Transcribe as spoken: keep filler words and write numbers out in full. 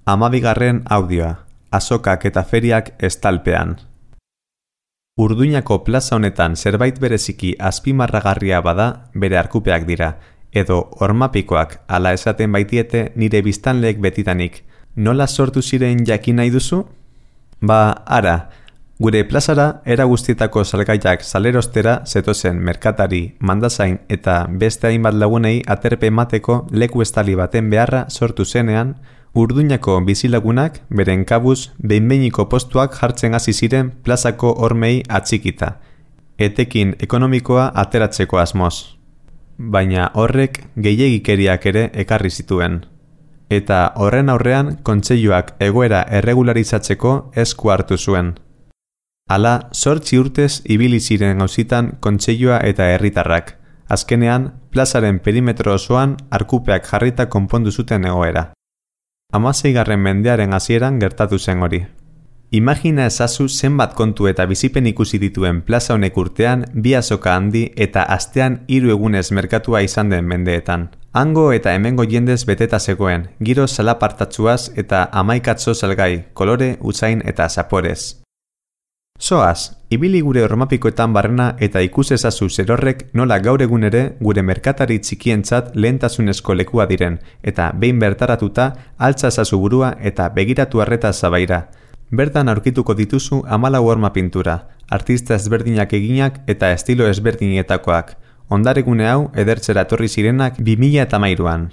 Hamabigarren audioa, azokak eta feriak estalpean. Urduñako plaza honetan zerbait bereziki azpimarragarria bada bere arkupeak dira, edo hormapikoak ala esaten baitiete nire biztanleek betitanik. Nola sortu ziren jakin nahi duzu? Ba, ara, gure plazara era guztietako salgaiak salerostera zetozen merkatari, mandazain eta beste hainbat lagunei aterpe emateko leku estali baten beharra sortu zenean, Urduñako bizilagunak beren kabuz behin-behiniko postuak jartzen hasi ziren plazako hormei atxikita, etekin ekonomikoa ateratzeko asmoz. Baina horrek gehiegikeriak ere ekarri zituen. Eta horren aurrean kontseiluak egoera erregularizatzeko esku hartu zuen. Hala, zortzi urtez ibili ziren auzitan kontseilua eta herritarrak. Azkenean, plazaren perimetro osoan arkupeak jarrita konpondu zuten egoera. Hamaseigarren mendearen hasieran gertatu zen hori. Imagina ezazu zenbat kontu eta bizipen ikusi dituen plaza honek urtean bi azoka handi eta astean hiru egunez merkatua izan den mendeetan. Hango eta hemengo jendez beteta zegoen, giro salapartatsuaz eta hamaikatzo salgai, kolore, usain eta zaporez. Zoaz, ibili gure hormapikoetan barrena eta ikus ezazu zerorrek nola gaur egun ere gure merkatari txikientzat lehentasunezko lekua diren, eta behin bertaratuta altza ezazu burua eta begiratu arreta zabaira. Bertan aurkituko dituzu hamalau horma pintura, artista ezberdinak eginak eta estilo ezberdinetakoak. Ondaregune hau edertzera etorri zirenak bi mila hamairuan.